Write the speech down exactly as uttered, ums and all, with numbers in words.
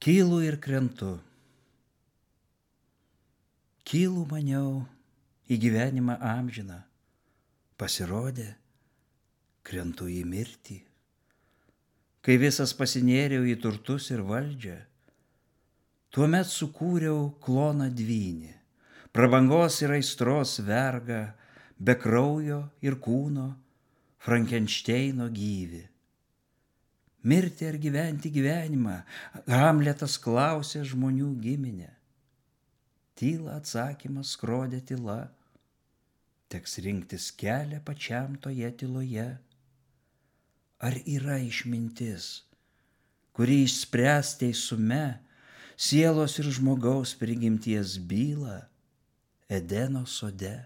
Kylu ir krentu. Kylu maniau į gyvenimą amžiną. Pasirodė, krentu į mirtį. Kai visas pasinėriau į turtus ir valdžią, tuomet sukūriau kloną dvynį, prabangos ir aistros vergą, be kraujo ir kūno, Frankenšteino gyvį. Mirti ar gyventi gyvenimą, Hamletas klausė žmonių giminę. Tyla atsakymas skrodė tyla, teks rinktis kelią pačiam toje tyloje. Ar yra išmintis, kuri išspręs teisume sielos ir žmogaus prigimties bylą Edeno sode?